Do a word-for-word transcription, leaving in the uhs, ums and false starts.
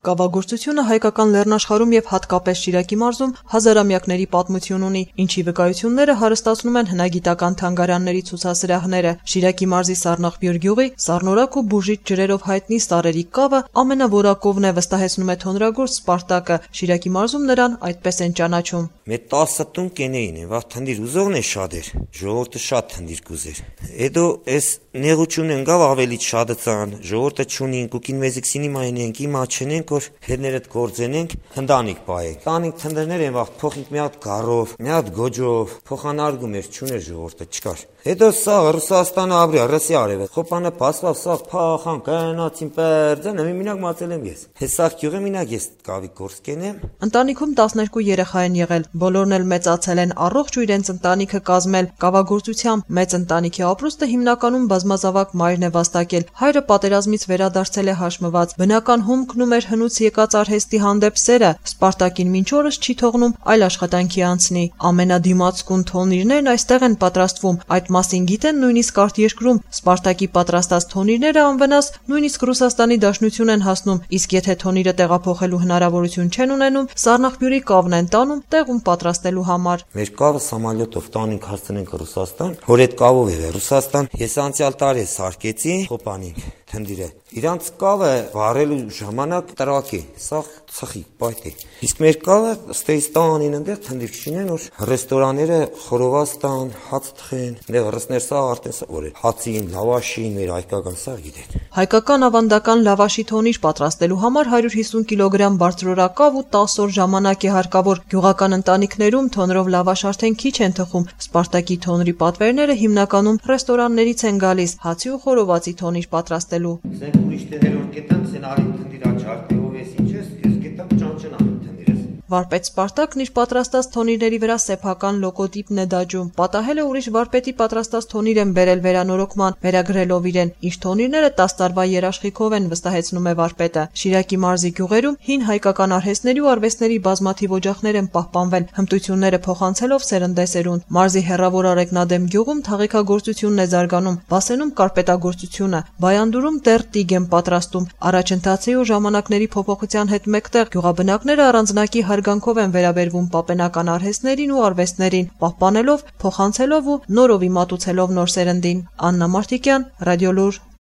Կավագործությունը հայկական լեռնաշխարհում եւ հատկապես Շիրակի մարզում հազարամյակների պատմություն ունի, ինչի վկայությունները հարստացնում են հնագիտական թանգարանների ցուցասրահները։ Շիրակի մարզի Սառնախբյուր գյուղի Սառնորակ ու բուժիչ ջրերով հայտնի Սարերի կավը ամենավորակովն է, վստահեցնում է թոնրագործ Սպարտակը։ Շիրակի մարզում նրան այդպես են ճանաչում։ Մեր տասը տուն կենեին են, վաղ թնդիր ուզողն է շատ էր, ժողովուրդը շատ թնդիր կուզեր։ Հետո այս նեղություն են գավ ավելի շատացան, ժողովուրդը չունին, կուկին մեզիքսինի մայնենք, իմա չնենք, որ հետներդ գործենենք, հնդանիք պայեք։ Տանիք թնդերներ են վաղ փոխինք մի հատ գարով, մի հատ գոջով, փոխանարգում էր, չուներ ժողովուրդը, չկար։ Հետո սա Ռուսաստանը ապրի, Ռուսիա արևը, խոպանը փասվավ, սա փախան, կայանացին պերձան, մի մինակ մացել եմ ես։ Հեսա գյուղը մինակ ես կավի գործ կենեմ։ Ընտանիքում տասներկու երեխա են եղել, բոլորն էլ մեծացել են, առողջ ու իրենց ընտանիքը կազմել։ Կավագործությամբ մեծ ընտանիքի ապրուստը հիմնականում բազմազավակ մայրն է վաստակել։ Հայրը պատերազմից վերադարձել է հաշմված։ Բնական հումքն ու մեր հնուց եկած արհեստի հանդեպ սերը Սպարտակին մինչ օրս չի թողնում այլ աշխատանքի անցնի։ Ամենադիմացկուն թոնիրներն այստեղ են պատրաստվում, այդ մասին գիտեն նույնիսկ արտերկրում։ Սպարտակի պատրաստած թոնիրները անվնաս նույնիսկ Ռուսաստանի Դաշնություն են հասնում, իսկ եթե թոնիրը տեղափոխելու հնարավորություն չեն ունենում, Սառնախբյուրի կավն են տանում տեղում պատրաստելու համար։ Մեր կավը սամալյոտով տանենք հասցնենք Ռուսաստան, որ այդ կավով է Ռուսաստան։ Ես անցյալ տարի սարքեցի խոպանին թնդիրը։ Իրանց կավը վարելու ժամանակ տրակի, սա ծխի, պայթի։ Իսկ մեր կավը Ստեյստանին այնտեղ թնդիր չինեն, որ ռեստորանները խորովաստան, հաց թխեն, այնտեղ ռուսներ սա արտեն սա որ հացին, լավաշին, մեր հայկական սա գիտեն։ Հայկական ավանդական լավաշի թոնիր պատրաստելու համար հարյուր հիսուն կիլոգրամ բարձրորակավ ու տասը օր ժամանակ է հարկավոր։ Գյուղական ընտանիքներում թոնրով լավաշ արդեն քիչ են թխում։ Սպարտակի թոնրի պատվերները հիմնականում ռեստորաններից են գալիս, հացի ու խորովածի թոնիր պատրաստելու։ Սենք ուրիշ տեղեր որ կետամ, սեն արին թնդիր աչարդի ով ես ինչ ես, ես կետամ ճանճնան թնդիրես։ Վարպետ Սպարտակն իր պատրաստած թոնիրների վրա սեփական լոգոտիպն է դաջում։ Պատահել է ուրիշ վարպետի պատրաստած թոնիր են բերել վերանորոգման, վերագրելով իրեն։ Իր թոնիրները տասը տարվա երաշխիքով են, վստահեցնում է վարպետը։ Շիրակի մարզի գյուղերում հին հայկական արհեստների ու արվեստների բազմաթիվ օջախներ են պահպանվել, հմտությունները փոխանցելով սերնդեսերունդ։ Մարզի հեռավոր Արեգնադեմ գյուղում թաղիքագործությունն է զարգանում, Բասենում կարպետագործությունը, Բայանդուրում դեռ տիգ են պատրաստում։ Առաջընթացի ու ժամանակների փոփոխության հետ մեկտեղ գյուղաբնակները առանձնակի հարգանքով են վերաբերվում պապենական արհեստներին ու արվեստներին, պահպանելով, փոխանցելով ու նորովի մատուցելով նոր սերնդին։ Աննա Մարտիկյան, Ռադիոլուր։